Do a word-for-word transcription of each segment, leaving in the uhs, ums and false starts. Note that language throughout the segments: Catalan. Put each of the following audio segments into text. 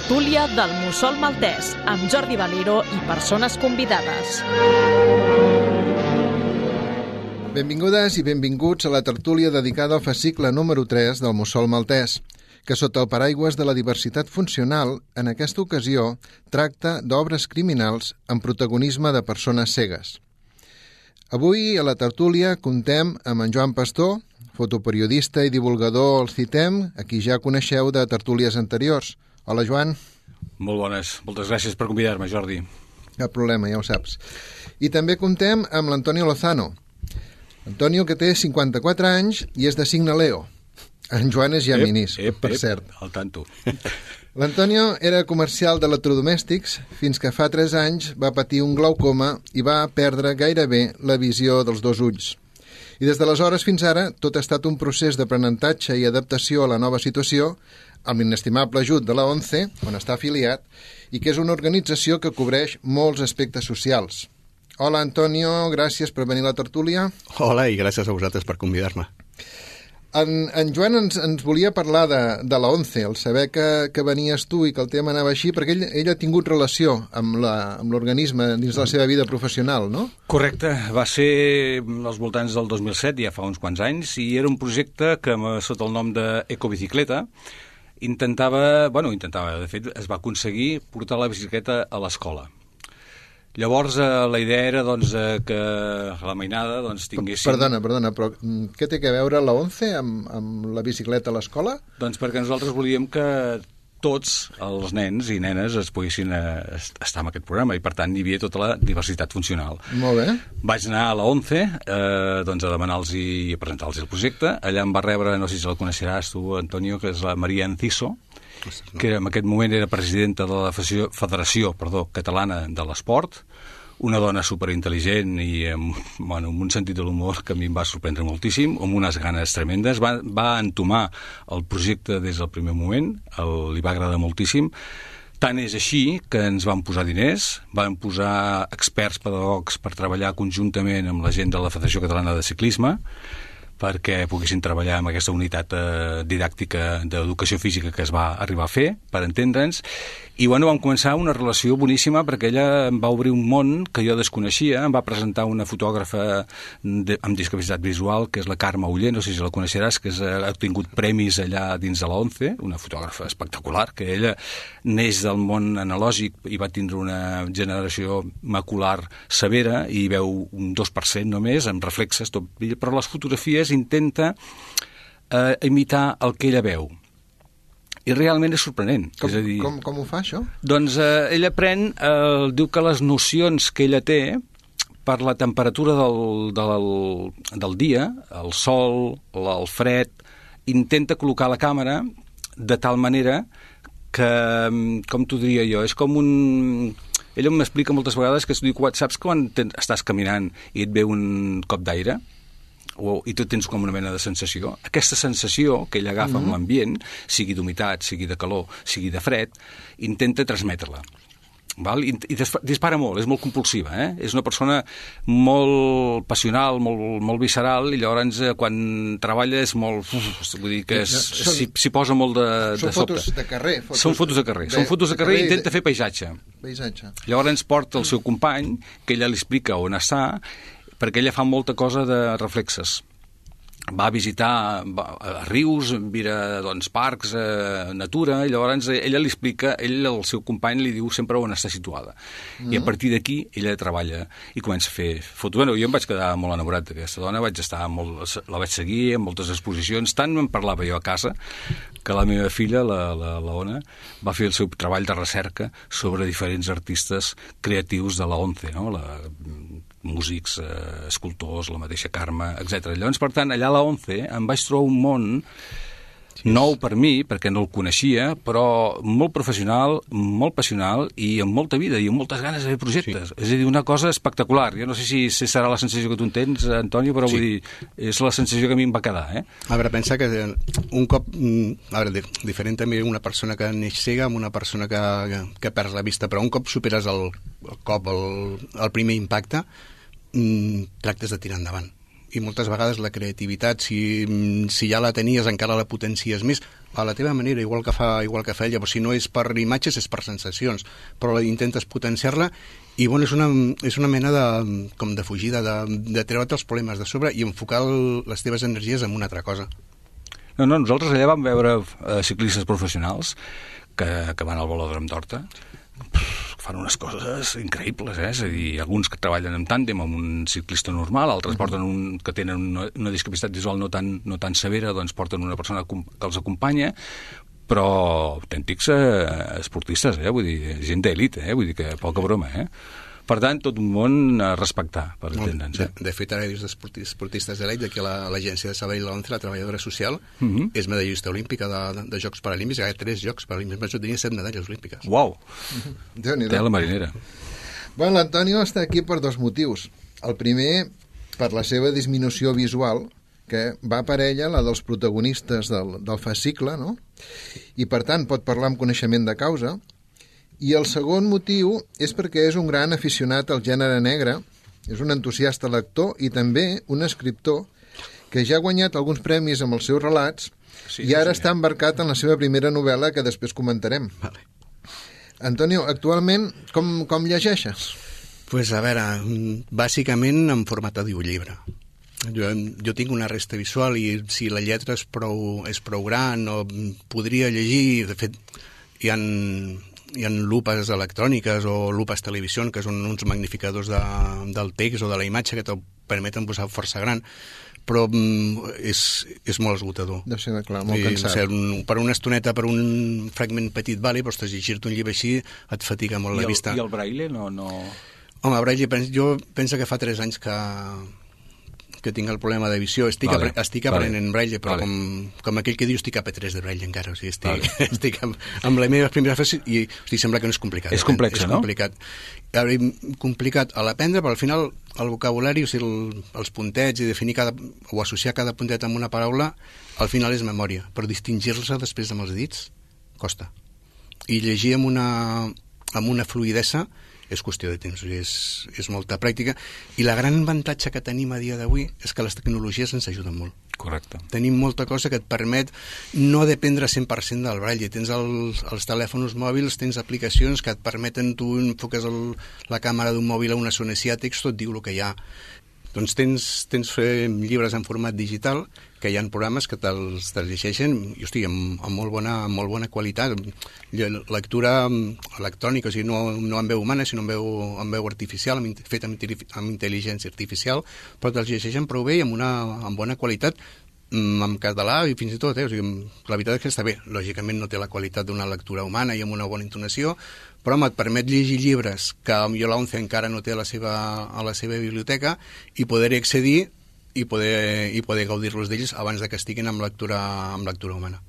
tertúlia del Mussol Maltès, amb Jordi Valero i persones convidades. Benvingudes i benvinguts a la tertúlia dedicada al fascicle número tres del Mussol Maltès, que sota el paraigües de la diversitat funcional, en aquesta ocasió, tracta d'obres criminals amb protagonisme de persones cegues. Avui, a la tertúlia, contem amb en Joan Pastor, fotoperiodista i divulgador al CITEM, a qui ja coneixeu de tertúlies anteriors. Hola, Joan. Molt bones. Moltes gràcies per convidar-me, Jordi. Cap problema, ja ho saps. I també contem amb l'Antonio Lozano. Antonio, que té cinquanta-quatre anys i és de signe Leo. En Joan és Géminis, ep, ep, per ep, cert. al tanto. L'Antonio era comercial d'electrodomèstics fins que fa tres anys va patir un glaucoma i va perdre gairebé la visió dels dos ulls. I des d'aleshores fins ara tot ha estat un procés d'aprenentatge i adaptació a la nova situació amb l'inestimable ajut de la ONCE, on està afiliat, i que és una organització que cobreix molts aspectes socials. Hola, Antonio, gràcies per venir a la tertúlia. Hola, i gràcies a vosaltres per convidar-me. En, en Joan ens, ens volia parlar de, de la ONCE, el saber que, que venies tu i que el tema anava així, perquè ell, ell ha tingut relació amb l'organisme dins de la seva vida professional, no? Correcte, va ser als voltants del dos mil set, ja fa uns quants anys, i era un projecte que, sota el nom d'Ecobicicleta, intentava, bueno, intentava, de fet, es va aconseguir portar la bicicleta a l'escola. Llavors, eh, la idea era doncs, eh, que la mainada doncs, tinguessin... Perdona, perdona, però què té a veure la ONCE amb, amb la bicicleta a l'escola? Doncs perquè nosaltres volíem que tots els nens i nenes es poguessin eh, estar en aquest programa i, per tant, hi havia tota la diversitat funcional. Molt bé. Vaig anar a la ONCE eh, doncs, a demanar-los i a presentar-los el projecte. Allà em va rebre, no sé si el coneixeràs tu, Antonio, que és la Maria Enciso, que en aquest moment era presidenta de la Federació, Federació perdó, Catalana de l'Esport, una dona superintel·ligent i amb, bueno, amb un sentit de l'humor que a mi em va sorprendre moltíssim, amb unes ganes tremendes. Va, va entomar el projecte des del primer moment, el, li va agradar moltíssim. Tant és així que ens van posar diners, van posar experts pedagogs per treballar conjuntament amb la gent de la Federació Catalana de Ciclisme, perquè poguessin treballar amb aquesta unitat eh, didàctica d'educació física que es va arribar a fer, per entendre'ns, i bueno, vam començar una relació boníssima perquè ella em va obrir un món que jo desconeixia, em va presentar una fotògrafa de, amb discapacitat visual, que és la Carme Uller, no sé si la coneixeràs, que és, ha obtingut premis allà dins de la ONCE, una fotògrafa espectacular, que ella neix del món analògic i va tindre una generació macular severa i veu un dos per cent només, amb reflexes, tot, però les fotografies intenta eh, imitar el que ella veu. I realment és sorprenent. Com, és a dir, com, com ho fa, això? Doncs eh, ella pren, eh, diu que les nocions que ella té per la temperatura del, del, del dia, el sol, el fred, intenta col·locar la càmera de tal manera que, com t'ho diria jo, és com un... Ella m'explica moltes vegades que es diu, saps quan estàs caminant i et ve un cop d'aire? O, i tu tens com una mena de sensació. Aquesta sensació que ell agafa mm-hmm. amb l'ambient, sigui d'humitat, sigui de calor, sigui de fred, intenta transmetre-la. Val? I, i dispara molt, és molt compulsiva, eh? És una persona molt passional, molt, molt visceral, i llavors eh, quan treballa és molt... Uf, vull dir que s'hi posa molt de, de sobte. Són fotos de carrer. Fotos són fotos de carrer. De, són fotos de carrer i intenta de... fer paisatge. Paisatge. Llavors porta el seu company, que ella li explica on està, perquè ella fa molta cosa de reflexes. Va a visitar va, a rius, mira doncs, parcs, eh, natura, i llavors ella li explica, ell, el seu company, li diu sempre on està situada. Mm. I a partir d'aquí ella treballa i comença a fer fotos. Bueno, jo em vaig quedar molt enamorat d'aquesta dona, vaig estar molt, la vaig seguir en moltes exposicions, tant me'n parlava jo a casa, que la meva filla, la, la, la Ona, va fer el seu treball de recerca sobre diferents artistes creatius de la ONCE, no? La músics, eh, escultors, la mateixa Carme, etcètera. Llavors, per tant, allà a la ONCE em vaig trobar un món nou per mi, perquè no el coneixia, però molt professional, molt passional i amb molta vida i amb moltes ganes de fer projectes. Sí. És a dir, una cosa espectacular. Jo no sé si, si serà la sensació que tu en tens, Antonio, però sí. Vull dir, és la sensació que a mi em va quedar. Eh? A veure, pensa que un cop... A veure, diferent també una persona que neix cega amb una persona que, que, que perd la vista, però un cop superes el, el cop, el, el primer impacte, mmm, tractes de tirar endavant. I moltes vegades la creativitat, si, si ja la tenies, encara la potencies més, a la teva manera, igual que fa, igual que fa ella, però si no és per imatges és per sensacions, però intentes potenciar-la i bueno, és una, és una mena de, com de fugida, de, de treure't els problemes de sobre i enfocar el, les teves energies en una altra cosa. No, no, nosaltres allà vam veure eh, ciclistes professionals que, que van al velòdrom d'Horta, fan unes coses increïbles, eh? És a dir, alguns que treballen en tàndem amb un ciclista normal, altres porten un, que tenen una, una discapacitat visual no tan, no tan severa, doncs porten una persona que els acompanya, però autèntics eh, esportistes, eh? Vull dir, gent d'elit, eh? Vull dir que poca broma, eh? Per tant, tot un món a respectar, per entendre'ns. De, de fet, ara dius d'esportistes de l'E I, d'aquí a l'agència de Sabadell l'Once, la treballadora social, uh -huh. és medallista olímpica de, de, de Jocs Paralímpics, hi ha tres Jocs Paralímpics, més tenia set medalles olímpiques. Uau! Déu-n'hi-do. Té la marinera. Bueno, l'Antonio està aquí per dos motius. El primer, per la seva disminució visual, que va per ella, la dels protagonistes del, del fascicle, no? I, per tant, pot parlar amb coneixement de causa. I el segon motiu és perquè és un gran aficionat al gènere negre, és un entusiasta lector i també un escriptor que ja ha guanyat alguns premis amb els seus relats sí, i ara sí, està embarcat en la seva primera novel·la que després comentarem. Vale. Antonio, actualment com, com llegeixes? Pues a veure, bàsicament en format audiollibre. Jo, jo tinc una resta visual i si la lletra és prou, és prou gran o podria llegir, de fet hi ha, hi ha lupes electròniques o lupes televisió que són uns magnificadors de, del text o de la imatge que te'l permeten posar força gran, però és, és molt esgotador. Deu ser, clar, molt I, cansat. No sé, un, per una estoneta, per un fragment petit, vale, però ostres, llegir-te un llibre així et fatiga molt I la el, vista. I el braille no... no... Home, braille, jo penso que fa tres anys que, que tinc el problema de visió. Estic, vale. apre, estic aprenent vale. braille, però vale. com, com aquell que diu estic a P tres de braille encara. O sigui, estic, vale. estic amb, amb les meves primeres frases i hosti, sembla que no és complicat. És complex, és no? Complicat. Complicat a l'aprendre, però al final el vocabulari, o sigui, el, els puntets i definir cada, o associar cada puntet amb una paraula, al final és memòria, però distingir-se després amb els dits costa. I llegir amb una, amb una fluïdesa és qüestió de temps, és, és molta pràctica, i la gran avantatge que tenim a dia d'avui és que les tecnologies ens ajuden molt. Correcte. Tenim molta cosa que et permet no dependre cent per cent del braille. Tens els, els telèfons mòbils, tens aplicacions que et permeten, tu enfoques el, la càmera d'un mòbil a una zona text, tot diu el que hi ha. Doncs tens, tens fer llibres en format digital, que hi ha programes que te'ls te llegeixen i, hosti, amb, amb, molt bona, amb molt bona qualitat. Lectura electrònica, o sigui, no, no en veu humana, sinó en veu, en veu artificial, amb, fet amb, amb intel·ligència artificial, però te'ls llegeixen prou bé i amb, una, amb bona qualitat, en català i fins i tot, eh? O sigui, la veritat és que està bé. Lògicament no té la qualitat d'una lectura humana i amb una bona entonació, però home, et permet llegir llibres que jo l'Once encara no té a la seva, a la seva biblioteca i poder-hi accedir i poder, i poder gaudir-los d'ells abans de que estiguin amb lectura, amb lectura humana.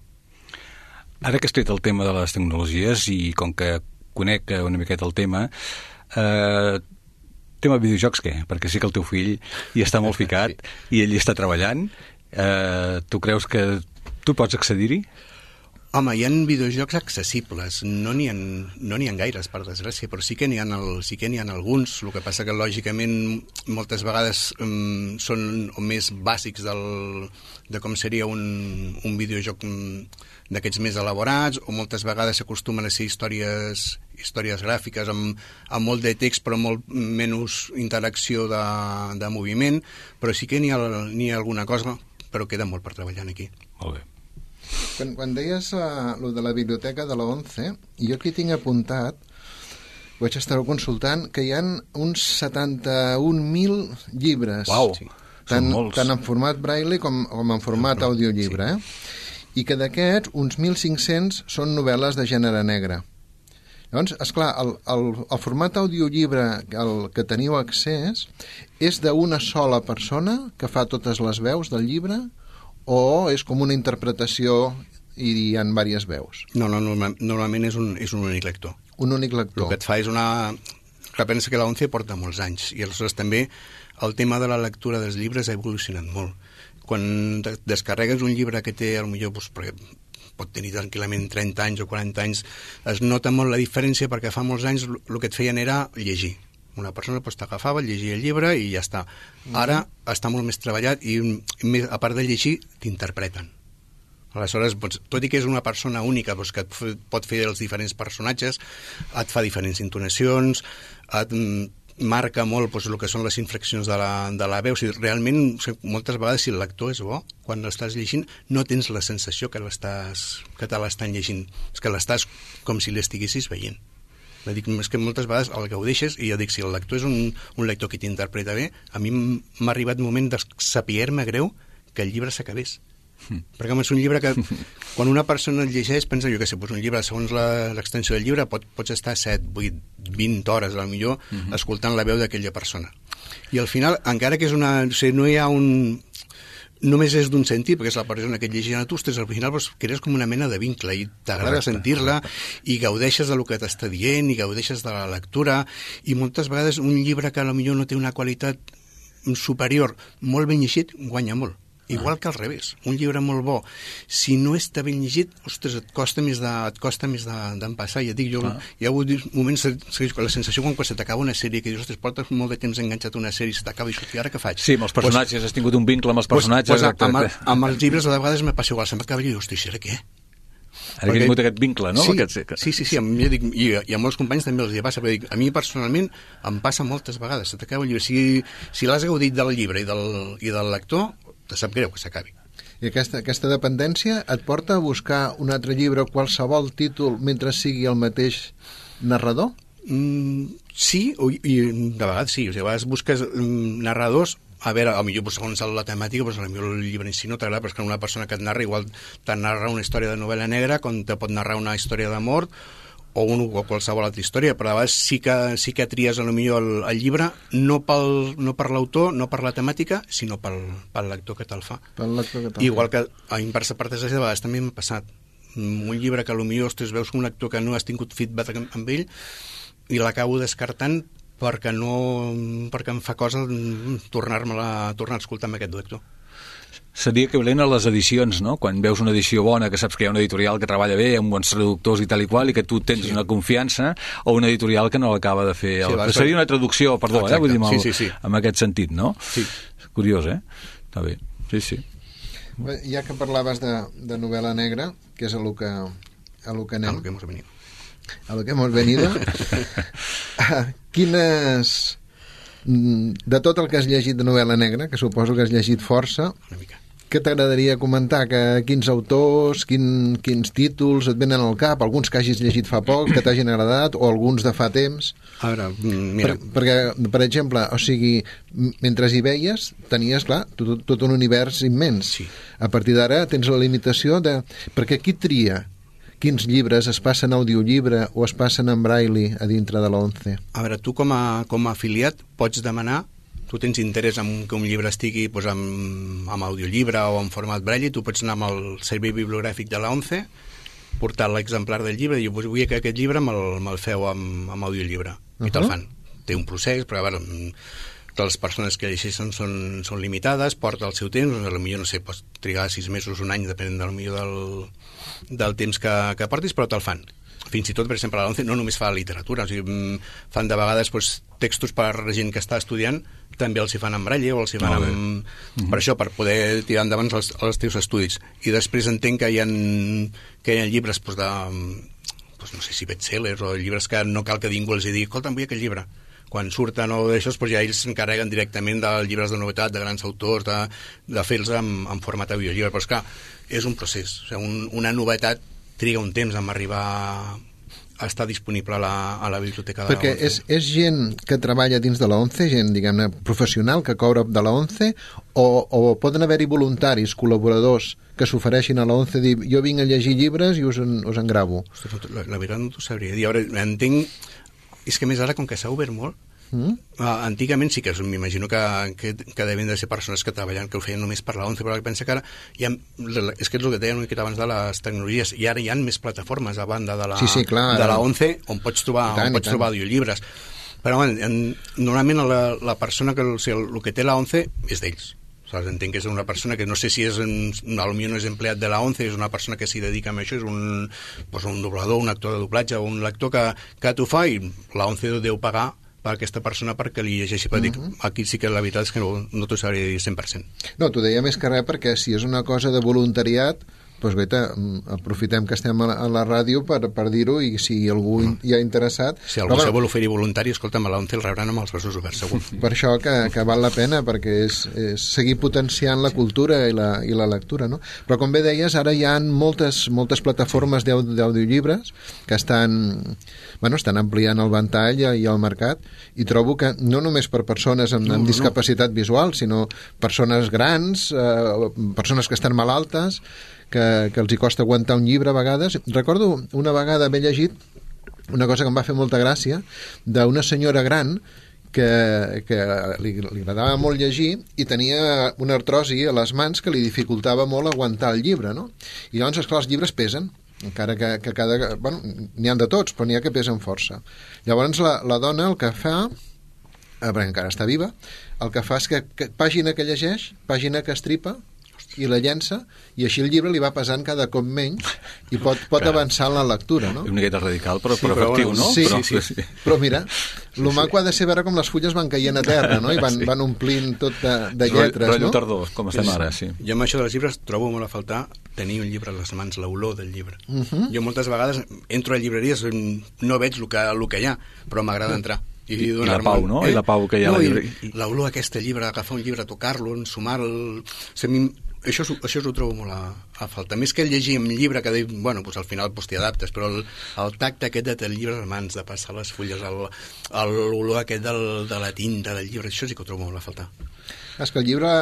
Ara que has tret el tema de les tecnologies i com que conec una miqueta el tema, eh, tema videojocs què? Perquè sí que el teu fill hi està molt ficat sí. I ell hi està treballant. Eh, tu creus que tu pots accedir-hi? Home, hi ha videojocs accessibles, no n'hi ha, no n'hi ha gaires, per desgràcia, però sí que n'hi ha, el, sí que n'hi ha alguns, el que passa que lògicament moltes vegades um, són més bàsics del, de com seria un, un videojoc d'aquests més elaborats, o moltes vegades s'acostumen a ser històries, històries gràfiques amb, amb molt de text però molt menys interacció de, de moviment, però sí que n'hi ha, n'hi ha alguna cosa, però queda molt per treballar aquí. Molt bé. Quan, quan deies uh, lo de la biblioteca de la ONCE, jo aquí tinc apuntat, vaig estar consultant, que hi ha uns setanta-un mil llibres. Uau, sí. tant, tant en format braille com, com en format audiollibre. Eh? I que d'aquests, uns mil cinc-cents són novel·les de gènere negre. Llavors, esclar, el, el, el format audiollibre al que teniu accés és d'una sola persona que fa totes les veus del llibre o és com una interpretació i hi ha diverses veus? No, no, normal, normalment és un, és un únic lector. Un únic lector. El que et fa és una... Que pensa que l'Once porta molts anys i aleshores també el tema de la lectura dels llibres ha evolucionat molt. Quan descarregues un llibre que té, potser, doncs, perquè pot tenir tranquil·lament trenta anys o quaranta anys, es nota molt la diferència perquè fa molts anys el que et feien era llegir. Una persona doncs, t'agafava, llegia el llibre i ja està. Ara mm. està molt més treballat i, a part de llegir, t'interpreten. Aleshores, doncs, tot i que és una persona única doncs, que et pot fer els diferents personatges, et fa diferents intonacions, et marca molt doncs, el que són les inflexions de la, de la veu. O sigui, realment, moltes vegades, si el lector és bo, quan l'estàs llegint, no tens la sensació que, l'estàs, que te l'estan llegint. És que l'estàs com si l'estiguessis veient. Dic, és que moltes vegades el gaudeixes, i jo dic, si el lector és un, un lector que t'interpreta bé, a mi m'ha arribat un moment de saber-me greu que el llibre s'acabés. Mm. Perquè home, és un llibre que quan una persona el llegeix pensa, jo què sé, doncs un llibre segons l'extensió del llibre pot, pots estar set, vuit, vint hores a lo millor mm-hmm. escoltant la veu d'aquella persona, i al final, encara que és una, o sigui, no hi ha un només és d'un sentit, perquè és la persona que et llegeix a tu, ostres, al final doncs, crees com una mena de vincle i t'agrada sentir-la i gaudeixes del que t'està dient i gaudeixes de la lectura, i moltes vegades un llibre que potser no té una qualitat superior, molt ben llegit, guanya molt. Igual que al revés, un llibre molt bo, si no està ben llegit, ostres, et costa més de, et costa més d'empassar. De, ja dic, jo, ah. hi ha hagut moments, la sensació quan se t'acaba una sèrie, que dius, ostres, portes molt de temps enganxat a una sèrie, se t'acaba i sortir, ara què faig? Sí, amb els personatges, pues, has tingut un vincle amb els personatges. Pues, pues, amb, el, amb els llibres a vegades me passa igual, se'm acaba i dius, ostres, ara què? Ara que he tingut aquest vincle, no? Sí, aquest... sí, sí, sí, a mi, dic, i, i a molts companys també els hi passa, perquè dic, a mi personalment em passa moltes vegades, se t'acaba el llibre. Si, si l'has gaudit del llibre i del, i del lector, te sap greu que s'acabi. I aquesta, aquesta dependència et porta a buscar un altre llibre o qualsevol títol mentre sigui el mateix narrador? Mm, sí, i, i de vegades sí. O sigui, a vegades busques mm, narradors, a veure, potser pues, segons la temàtica, pues, potser el llibre en si no t'agrada, però és que una persona que et narra igual te narra una història de novel·la negra com te pot narrar una història d'amor o, un, o qualsevol altra història, però a vegades sí que, sí que tries a lo millor el, el llibre no, pel, no per l'autor, no per la temàtica, sinó pel, pel lector que te'l fa. Pel lector que te'l Igual fa. que a inversa per desgràcia, de vegades també m'ha passat. Un llibre que a lo millor, ostres, veus un lector que no has tingut feedback amb ell i l'acabo descartant perquè no, perquè em fa cosa tornar-me-la, tornar a escoltar amb aquest lector. Seria equivalent a les edicions, no? Quan veus una edició bona, que saps que hi ha una editorial que treballa bé, amb bons traductors i tal i qual, i que tu tens sí. una confiança, o una editorial que no l'acaba de fer. Sí, el... Seria una traducció, perdó, eh? Vull dir, sí, sí, sí. en aquest sentit, no? Sí. Curiós, eh? Està bé, sí, sí. Bé, ja que parlaves de, de novel·la negra, que és a lo que, a lo que anem... A lo que hemos venido. A lo que hemos venido. Quines... De tot el que has llegit de novel·la negra, que suposo que has llegit força, una mica. Què t'agradaria comentar? Que, quins autors, quin, quins títols et venen al cap? Alguns que hagis llegit fa poc, que t'hagin agradat, o alguns de fa temps? A veure, mira... Per, perquè, per exemple, o sigui, mentre hi veies, tenies, clar, tot, tot un univers immens. Sí. A partir d'ara tens la limitació de... Perquè qui tria quins llibres es passen a audiollibre o es passen en braille a dintre de l'once? A veure, tu com a, com a afiliat pots demanar, tu tens interès en que un llibre estigui doncs, amb, amb audiollibre o en format braille, tu pots anar amb el servei bibliogràfic de l'once, portar l'exemplar del llibre i dir, vull que aquest llibre me'l, me'l feu amb, amb audiollibre. Uh-huh. I te'l fan. Té un procés, però a veure, les persones que llegeixen són, són limitades, porta el seu temps, potser no sé, pots trigar sis mesos, un any, depenent del millor del, del temps que, que portis, però te'l fan. Fins i tot, per exemple, a l'once no només fa literatura, o sigui, fan de vegades doncs, textos per gent que està estudiant, també els hi fan en braille o els hi fan amb... Mm-hmm. Per això, per poder tirar endavant els, els teus estudis. I després entenc que hi ha, que hi ha llibres doncs, de, doncs, no sé si bestsellers o llibres que no cal que ningú els digui, escolta, vull aquest llibre. Quan surten o d'això, doncs ja ells s'encarreguen directament dels llibres de novetat, de grans autors, de, de fer-los en, en format audiollibre. Però és clar, és un procés. O sigui, un, una novetat triga un temps en arribar a estar disponible a la, a la biblioteca de Perquè la ONCE. És, és gent que treballa dins de la ONCE, gent, diguem-ne, professional, que cobra de la ONCE, o, o poden haver-hi voluntaris, col·laboradors, que s'ofereixin a la ONCE, dir, jo vinc a llegir llibres i us en, us en gravo. Ostres, la, la veritat no t'ho sabria dir. Ara, entenc... És que més ara, com que s'ha obert molt, mm? uh, antigament sí que m'imagino que, que, que devien de ser persones que treballen, que ho feien només per la ONCE, però pensa que ara hi ha, és que és el que deien una mica abans de les tecnologies, i ara hi ha més plataformes a banda de la, sí, sí, clar, de la ONCE on pots trobar, tant, on pots trobar audiollibres. Però en, en, normalment la, la persona que, o sigui, el que té la ONCE és d'ells. Entenc que és una persona que no sé si és un, potser no és empleat de la ONCE, és una persona que s'hi dedica a això, és un, doncs un doblador, un actor de doblatge o un lector que, que t'ho fa, i la ONCE deu pagar per aquesta persona perquè li llegeixi. Però dic, uh-huh. Aquí sí que la veritat és que no, no t'ho sabré dir cent per cent. No, t'ho deia més que res perquè si és una cosa de voluntariat, doncs guaita, aprofitem que estem a la, a la ràdio per, per dir-ho, i si algú mm. hi ha interessat... Si algú se vol oferir voluntari, escolta'm, a l'O N C E el rebran amb els braços oberts, segur. Per això que, que val la pena, perquè és, és seguir potenciant la cultura i la, i la lectura, no? Però com bé deies, ara hi ha moltes, moltes plataformes d'audiollibres que estan, bueno, estan ampliant el ventall i el mercat, i trobo que no només per persones amb, amb no, discapacitat no. visual, sinó persones grans, eh, persones que estan malaltes, que, que els hi costa aguantar un llibre a vegades. Recordo una vegada haver llegit una cosa que em va fer molta gràcia, d'una senyora gran que, que li, li agradava molt llegir i tenia una artrosi a les mans que li dificultava molt aguantar el llibre, no? I llavors, esclar, els llibres pesen, encara que, que cada... Bueno, n'hi ha de tots, però n'hi ha que pesen força. Llavors, la, la dona el que fa, perquè encara està viva, el que fa és que, que pàgina que llegeix, pàgina que estripa, i la llença, i així el llibre li va pesant cada cop menys i pot, pot avançar en la lectura, no? Una miqueta radical, però, sí, però efectiu, bueno, no? Sí, però, sí, sí. Però mira, el sí, maco sí. ha de ser veure com les fulles van caient a terra, no? I van, sí. van omplint tot de, de lletres, Rollo no? tardor, com estem ara, sí. Jo amb això dels llibres trobo molt a faltar tenir un llibre a les mans, l'olor del llibre. Uh -huh. Jo moltes vegades entro a llibreries, no veig el que, el que hi ha, però m'agrada entrar. I, I, I la pau, no? Eh? I la pau que hi ha no, a la llibreria. L'olor aquest llibre, agafar un llibre, tocar-lo, ensumar-lo... Això, això ho trobo molt a, a falta. Més que llegir un llibre que diu, bueno, doncs al final doncs t'hi adaptes, però el, el tacte aquest de tenir el llibre a les mans, de passar les fulles, l'olor aquest del, de la tinta del llibre, això sí que ho trobo molt a faltar. És que el llibre,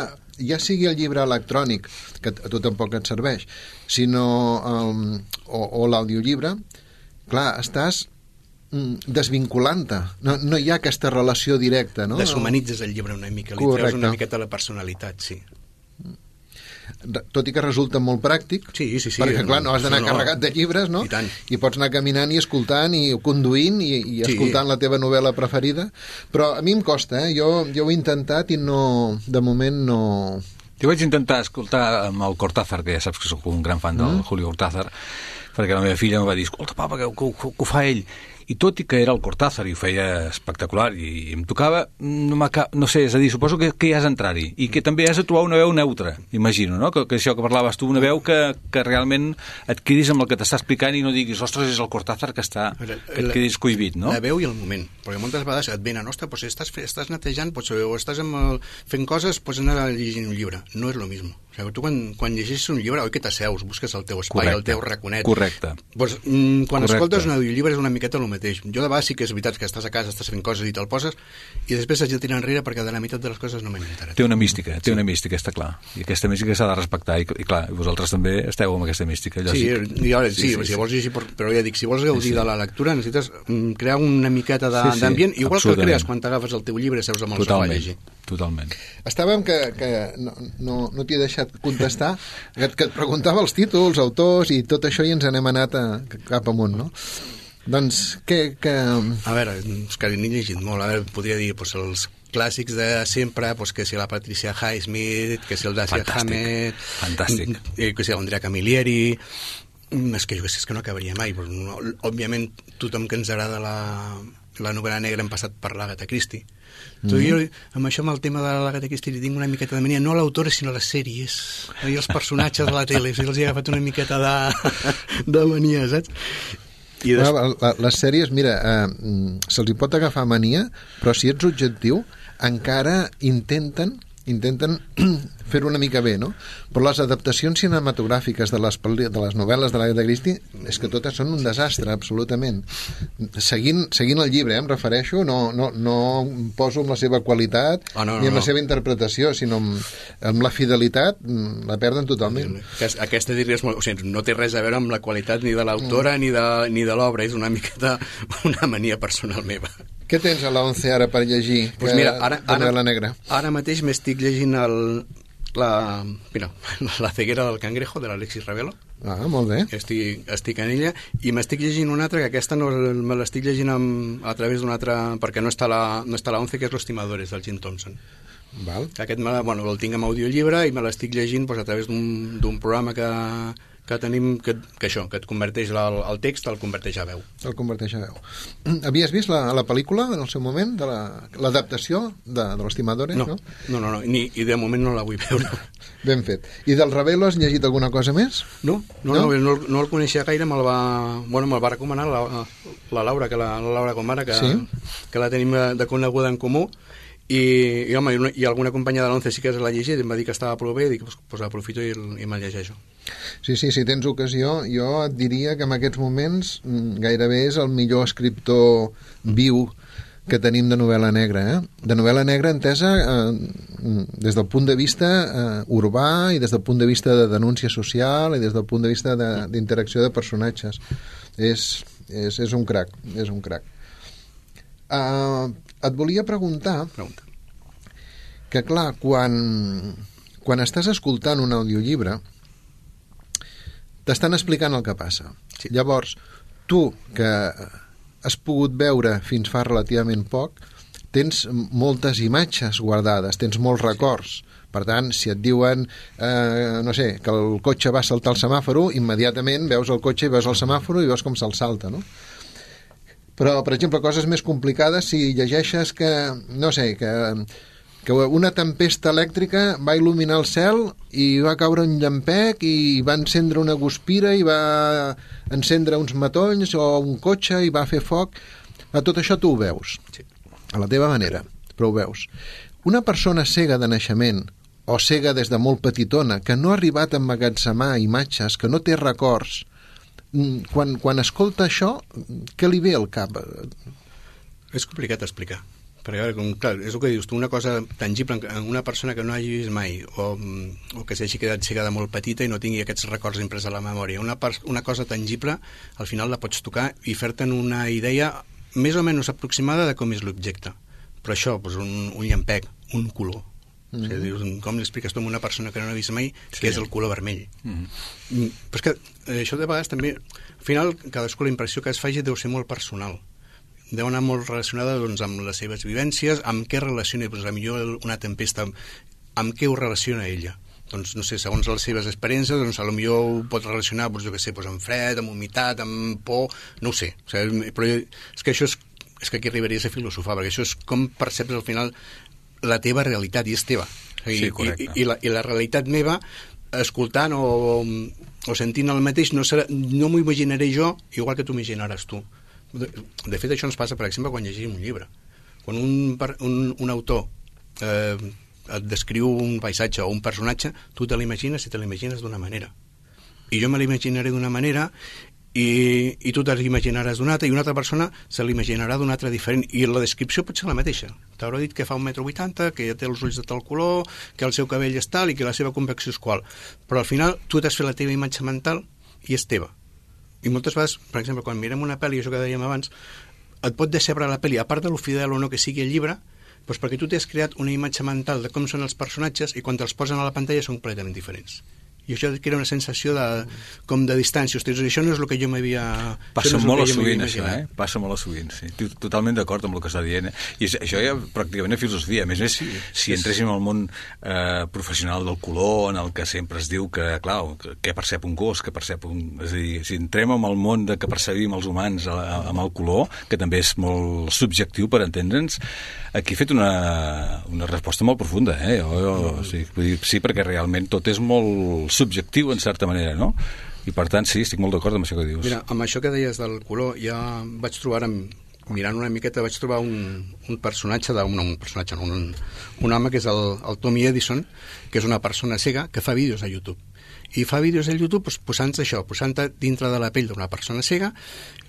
ja sigui el llibre electrònic, que a tu tampoc et serveix, sinó um, o, o l'audiollibre, clar, estàs desvinculant-te. No, no hi ha aquesta relació directa, no? Deshumanitzes el llibre una mica, li treus una miqueta la personalitat, sí. Tot i que resulta molt pràctic, sí, sí, sí, perquè clar, no has d'anar no, no. carregat de llibres, no? I tant. I pots anar caminant i escoltant i conduint i, i escoltant sí. la teva novel·la preferida, però a mi em costa, eh? Jo, jo ho he intentat i no, de moment no... Jo vaig intentar escoltar amb el Cortázar, que ja saps que soc un gran fan del mm. Julio Cortázar, perquè la meva filla em va dir, escolta, papa, que, que, que, que ho fa ell. I tot i que era el Cortázar i ho feia espectacular i, i em tocava, no, no sé, és a dir, suposo que, que hi has d'entrar-hi i que també has de trobar una veu neutra, imagino, no? Que, que això que parlaves tu, una veu que, que realment et quedis amb el que t'està explicant i no diguis, ostres, és el Cortázar que està, que et quedis cohibit, no? La veu i el moment, perquè moltes vegades et venen, ostres, doncs estàs, estàs netejant doncs, o estàs amb el, fent coses, pots anar llegint un llibre, no és lo mismo. O sigui, tu quan, quan llegeixes un llibre, oi que t'asseus, busques el teu espai, correcte, el teu raconet. Correcte. Pues, mm, quan correcte. Escoltes un audiollibre és una miqueta el mateix. Jo de vegades sí que és veritat que estàs a casa, estàs fent coses i te'l poses, i després has de tirar enrere perquè de la meitat de les coses no m'he enterat. Té una mística, té sí. una mística, està clar. I aquesta mística s'ha de respectar, i, i clar, vosaltres també esteu amb aquesta mística, lògic. Sí, jo, sí, sí, sí, si vols llegir, però ja dic, si vols gaudir sí, sí. de la lectura necessites mm, crear una miqueta d'ambient, sí, sí, igual que el crees quan t'agafes el teu llibre i seus amb el sofà a llegir. Totalment. Estàvem que, que no, no, no t'hi he deixat contestar, que, que et preguntava els títols, autors i tot això, i ens n'hem anat a, cap amunt, no? Doncs, què... Que... A veure, és que n'he llegit molt. A veure, podria dir, doncs, els clàssics de sempre, doncs, que si la Patricia Highsmith, que si el Dashiell Hammett... Fantàstic. Que si l'Andrea Camilleri... És que jo és que no acabaria mai. Però no, òbviament, tothom que ens agrada la, la novel·la negra hem passat per l'Agatha Christie. Mm -hmm. Jo, amb això, amb el tema de l'Agatha Christie, li tinc una miqueta de mania, no a l'autora, sinó a les sèries. I els personatges de la tele, si els he agafat una miqueta de, de mania, saps? I des... bueno, la, les sèries, mira, eh, se'ls hi pot agafar mania, però si ets objectiu, encara intenten intenten fer-ho una mica bé, no? Però les adaptacions cinematogràfiques de les, de les novel·les de l'Agatha Christie és que totes són un desastre, absolutament. Seguint, seguint el llibre, eh, em refereixo, no, no, no em poso amb la seva qualitat oh, no, no, ni amb no. la seva interpretació, sinó amb, amb la fidelitat, la perden totalment. Aquesta diries molt... O sigui, no té res a veure amb la qualitat ni de l'autora mm. ni de, ni de l'obra, és una miqueta una mania personal meva. Què tens a l'O N C E ara per llegir? Pues mira, ara, ara, la negra? Ara mateix m'estic llegint el, la, mira, la ceguera del cangrejo, de l'Alexis Ravelo. Ah, molt bé. Estic, estic en ella, i m'estic llegint una altra, que aquesta no, me l'estic llegint amb, a través d'una altra, perquè no està la, no està la O N C E, que és Los Timadores, del Jim Thompson. Val. Aquest me, bueno, el tinc amb audiollibre i me l'estic llegint doncs, a través d'un programa que, que tenim, que, que això, que et converteix el, el text, el converteix a veu. El converteix a veu. Havies vist la, la pel·lícula en el seu moment, de l'adaptació la, de, de los Timadores? No, no, no, no, no ni, i de moment no la vull veure. Ben fet. I del Ravelo has llegit alguna cosa més? No, no, no, no, no, no el coneixia gaire, me'l va, bueno, me'l va recomanar la, la Laura, que la, la Laura Comara, que, sí? que la tenim de coneguda en comú, i, i home, i alguna companya de l'Once sí que l'ha llegit, em va dir que estava prou bé, i dic, doncs pues, aprofito i, i me'l llegeixo. Sí, sí, si tens ocasió, jo et diria que en aquests moments gairebé és el millor escriptor viu que tenim de novel·la negra, eh? De novel·la negra entesa eh, des del punt de vista eh, urbà i des del punt de vista de denúncia social i des del punt de vista d'interacció de, de personatges. És, és, és un crac, és un crac. Uh, et volia preguntar Pregunta. que, clar, quan, quan estàs escoltant un audiollibre t'estan explicant el que passa. Sí. Llavors, tu, que has pogut veure fins fa relativament poc, tens moltes imatges guardades, tens molts records. Per tant, si et diuen, eh, no sé, que el cotxe va saltar el semàforo, immediatament veus el cotxe i veus el semàforo i veus com se'l salta, no? Però, per exemple, coses més complicades, si llegeixes que, no sé, que, que una tempesta elèctrica va il·luminar el cel i va caure un llampec i va encendre una guspira i va encendre uns matolls o un cotxe i va fer foc. Tot això tu ho veus, sí, a la teva manera, però ho veus. Una persona cega de naixement o cega des de molt petitona, que no ha arribat a emmagatzemar imatges, que no té records, quan, quan escolta això, què li ve al cap? És complicat d'explicar. Perquè, com, clar, és el que dius tu, una cosa tangible en una persona que no hagi vist mai o, o que s'hagi quedat cega de molt petita i no tingui aquests records imprès a la memòria. Una, una cosa tangible, al final la pots tocar i fer-te'n una idea més o menys aproximada de com és l'objecte. Però això, doncs un, un llampec, un color. Mm -hmm. O sigui, dius, com li expliques tu a una persona que no ha vist mai sí. què és el color vermell? Mm -hmm. Però és que eh, això de vegades també, al final, cadascú la impressió que es faci deu ser molt personal. Deu anar molt relacionada doncs, amb les seves vivències, amb què relaciona, doncs, a millor una tempesta, amb, amb què ho relaciona ella. Doncs, no sé, segons les seves experiències, doncs, a lo millor ho pot relacionar, doncs, jo què sé, doncs, amb fred, amb humitat, amb por, no ho sé. O sigui, però és que això és, és que aquí arribaries a filosofar, perquè això és com perceps al final la teva realitat, i és teva. O sigui, sí, correcte. I, i, la, I la realitat meva, escoltant o, o sentint el mateix, no, serà, no m'ho imaginaré jo igual que tu imaginaràs tu. De, de fet, això ens passa, per exemple, quan llegim un llibre. Quan un, un, un autor eh, et descriu un paisatge o un personatge, tu te l'imagines i te l'imagines d'una manera. I jo me l'imaginaré d'una manera i, i tu te l'imaginaràs d'una altra i una altra persona se l'imaginarà d'una altra diferent. I la descripció pot ser la mateixa. T'haurà dit que fa un metro vuitanta, que ja té els ulls de tal color, que el seu cabell és tal i que la seva convecció és qual. Però al final tu t'has fet la teva imatge mental i és teva. I moltes vegades, per exemple, quan mirem una pel·li, això que dèiem abans, et pot decebre la pel·li, a part de lo fidel o no que sigui el llibre, doncs perquè tu t'has creat una imatge mental de com són els personatges i quan te'ls posen a la pantalla són completament diferents. I això crea una sensació de, com de distància. Ostres, això no és el que jo m'havia... Passa no molt a sovint, això, eh? Passa molt a sovint, sí. Totalment d'acord amb el que està dient. Eh? I això ja pràcticament és filosofia. A més a més, si, si entréssim al món eh, professional del color, en el que sempre es diu que, clar, què percep un gos, què percep un... És a dir, si entrem en el món de que percebim els humans amb el color, que també és molt subjectiu per entendre'ns, aquí he fet una, una resposta molt profunda, eh? Jo, jo, sí, vull dir, sí, perquè realment tot és molt subjectiu, en certa manera, no? I per tant, sí, estic molt d'acord amb això que dius. Mira, amb això que deies del color, ja vaig trobar, mirant una miqueta, vaig trobar un, un personatge, de, un, un personatge, no, un, un home que és el, el Tommy Edison, que és una persona cega que fa vídeos a YouTube. I fa vídeos a YouTube doncs, posant-se això, posant-te dintre de la pell d'una persona cega,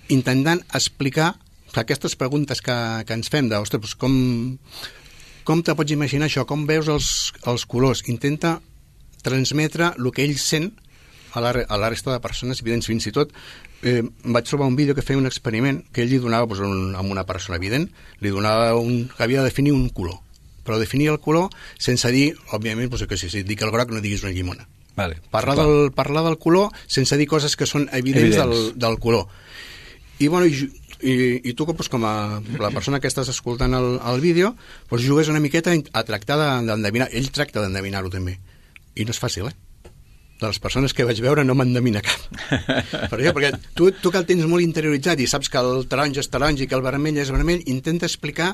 intentant explicar aquestes preguntes que, que ens fem de, ostres, doncs com, com te pots imaginar això? Com veus els, els colors? Intenta transmetre el que ell sent a la, a la resta de persones evidents. Fins i tot eh, vaig trobar un vídeo que feia un experiment que ell li donava doncs, un, a una persona evident, li donava un, que havia de definir un color, però definir el color sense dir, òbviament, doncs, que si, si dic el groc no diguis una llimona. Vale, parlar, del, parlar del color sense dir coses que són evidents, evidents. Del, del color. I, bueno, i, i, i tu, doncs, com a la persona que estàs escoltant el, el vídeo, doncs, jugues una miqueta a tractar d'endevinar. Ell tracta d'endevinar-ho també. I no és fàcil, eh? de les persones que vaig veure no m'endevina cap. Per això, perquè tu, tu que el tens molt interioritzat i saps que el taronja és taronja i que el vermell és vermell, intenta explicar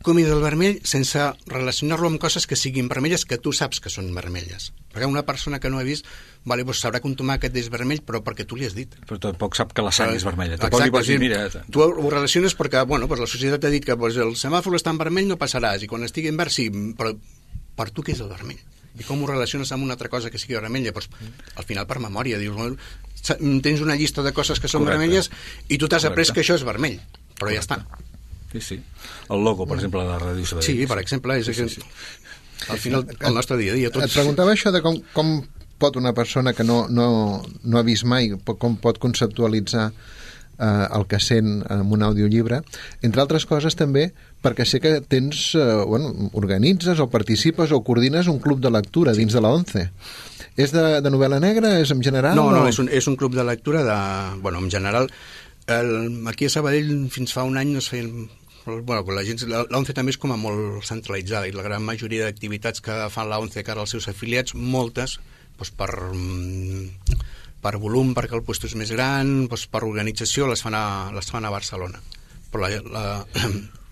com és el vermell sense relacionar-lo amb coses que siguin vermelles que tu saps que són vermelles. Perquè una persona que no ha vist, vale, doncs sabrà que un tomàquet és vermell, però perquè tu li has dit. Però tampoc sap que la sang és vermella. Exacte, pots dir, mira, tu ho relaciones perquè bueno, doncs la societat t'ha dit que doncs, el semàfor està en vermell, no passaràs, i quan estigui en verd sí, però per tu què és el vermell? I com ho relaciones amb una altra cosa que sigui vermella? Pues, al final per memòria dius, bueno, tens una llista de coses que són Correcte. vermelles i tu t'has après que això és vermell, però Correcte. ja està. Sí, sí. El logo, per exemple, de la Ràdio Sabadell. Sí, per exemple, és sí, sí, sí. al final el nostre dia a dia. Tots... Et preguntava això de com, com pot una persona que no, no, no ha vist mai, com pot conceptualitzar eh, el que sent en un audiollibre, entre altres coses també perquè sé que tens, eh, bueno, organitzes o participes o coordines un club de lectura dins de la ONCE. És de, de novel·la negra? És en general? No, no, o... és, un, és un club de lectura de... Bueno, en general, el, aquí a Sabadell fins fa un any no es feien... Bueno, la gent, l'ONCE també és com a molt centralitzada i la gran majoria d'activitats que fan l'ONCE cara als seus afiliats, moltes, doncs per... per volum, perquè el lloc és més gran, doncs per organització, les fan a, les fan a Barcelona. Però la, la,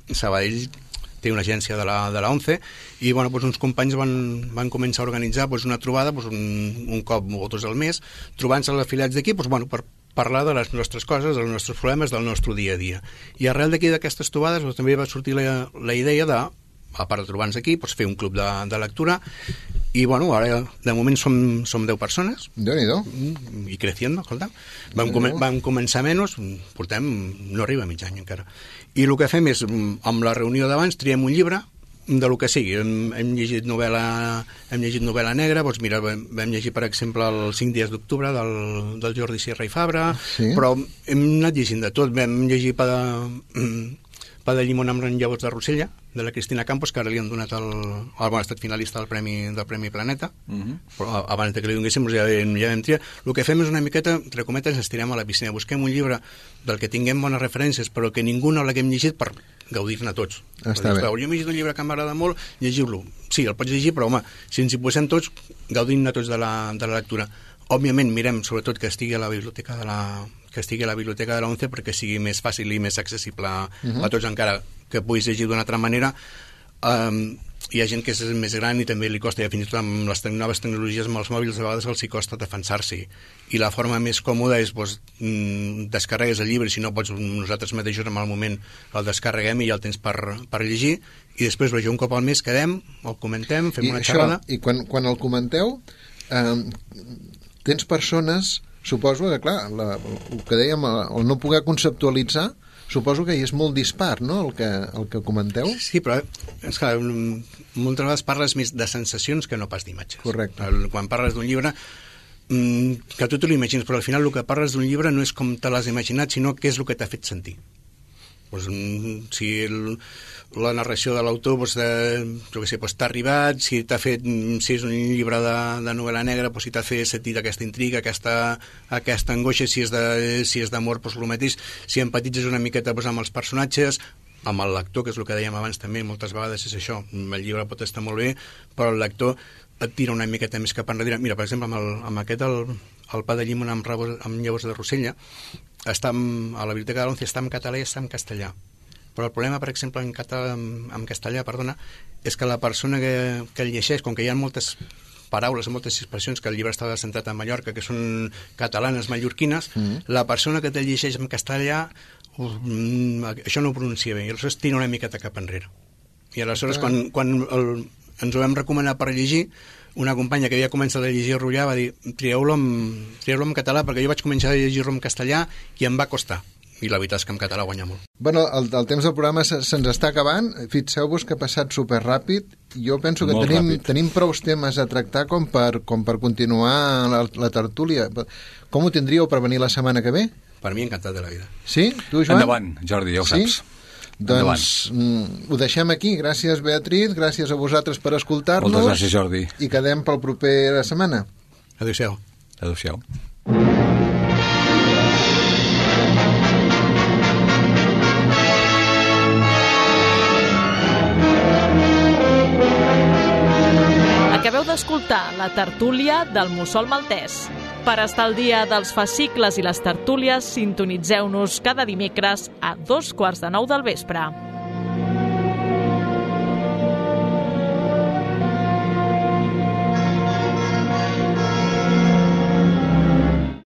Sabadell té una agència de la, de la ONCE i bueno, doncs uns companys van, van començar a organitzar doncs una trobada doncs un, un cop o dos al mes, trobant-se els afiliats d'aquí doncs, bueno, per parlar de les nostres coses, dels nostres problemes, del nostre dia a dia. I arrel d'aquí d'aquestes trobades doncs, també va sortir la, la idea de, a part de trobar-nos aquí, doncs, fer un club de, de lectura. I bueno, ara de moment som, som deu persones. Déu-n'hi-do. I creciendo, escolta. Vam, com, vam començar menys, portem, no arriba a mig any encara. I el que fem és, amb la reunió d'abans, triem un llibre de lo que sigui. Hem, hem llegit novel·la hem llegit novel·la negra, doncs mira, vam, vam llegir, per exemple, el cinc dies d'octubre del, del Jordi Sierra i Fabra, sí. Però hem anat llegint de tot. Vam llegir pa de, pa de llimona amb llavors de Rossella, de la Cristina Campos, que ara li han donat el... el bon, ha estat finalista del Premi, del Premi Planeta, uh-huh. Però abans de que li donéssim ja, ja vam triar. El que fem és una miqueta, entre cometes, estirem a la piscina. Busquem un llibre del que tinguem bones referències, però que ningú no l'haguem llegit per gaudir-ne tots. Està bé. Jo m'he llegit un llibre que m'agrada molt, llegiu-lo. Sí, el pots llegir, però home, si ens hi posem tots, gaudim-ne tots de la, de la lectura. Òbviament, mirem, sobretot, que estigui a la biblioteca de la... que estigui a la biblioteca de la ONCE perquè sigui més fàcil i més accessible a, uh-huh. a tots, encara que puguis llegir d'una altra manera. Um, hi ha gent que és més gran i també li costa, i fins i tot amb les noves tecnologies amb els mòbils a vegades els hi costa defensar-s'hi, i la forma més còmoda és doncs, descarregues el llibre, si no pots nosaltres mateixos en el moment el descarreguem i ja el tens per, per llegir, i després un cop al mes quedem, el comentem, fem I una això, xerrada. I quan, quan el comenteu eh, tens persones, suposo que clar, la, el que dèiem, el no poder conceptualitzar, suposo que hi és molt dispar, no?, el que, el que comenteu. Sí, però és que moltes vegades parles més de sensacions que no pas d'imatges. Correcte. Quan parles d'un llibre, que tu te l'imagines, però al final el que parles d'un llibre no és com te l'has imaginat, sinó què és el que t'ha fet sentir. Pues, si el, la narració de l'autor pues, de, jo què sé, pues, t'ha arribat, si t'ha fet, si és un llibre de, de novel·la negra, pues, si t'ha fet sentir aquesta intriga, aquesta, aquesta angoixa, si és de, si és d'amor, pues, el mateix, si empatitzes una miqueta pues, amb els personatges, amb el lector, que és el que dèiem abans també, moltes vegades és això, el llibre pot estar molt bé, però el lector et tira una miqueta més cap enrere. Mira, per exemple, amb, el, amb aquest, el, el pa de llimona amb, amb llavors de Rossella, està amb, a la biblioteca de l'ONCE està en català i està en castellà. Però el problema, per exemple, en, català, en, en castellà, perdona, és que la persona que, que el llegeix, com que hi ha moltes paraules, moltes expressions que el llibre està centrat a Mallorca, que són catalanes, mallorquines, mm. la persona que te llegeix en castellà, uh, això no ho pronuncia bé, i aleshores tira una miqueta cap enrere. I aleshores, ah. quan, quan el, ens ho vam recomanar per llegir, una companya que havia començat a llegir Rullar va dir trieu-lo en, trieu-lo en català, perquè jo vaig començar a llegir-lo en castellà i em va costar. I la veritat és que en català guanya molt. Bueno, el, el temps del programa se, se'ns està acabant. Fixeu-vos que ha passat superràpid. Jo penso que tenim, tenim prou temes a tractar com per, com per continuar la, la tertúlia. Com ho tindríeu per venir la setmana que ve? Per mi encantat de la vida. Sí? Tu, Joan? Endavant, Jordi, ja ho sí? saps. Doncs mm, ho deixem aquí. Gràcies, Beatriz, gràcies a vosaltres per escoltar-nos. Moltes gràcies, Jordi. I quedem pel proper setmana. Adéu-siau. Adéu-siau. acabeu d'escoltar la tertúlia del Mussol Maltès. Per estar al dia dels fascicles i les tertúlies, sintonitzeu-nos cada dimecres a dos quarts de nou del vespre.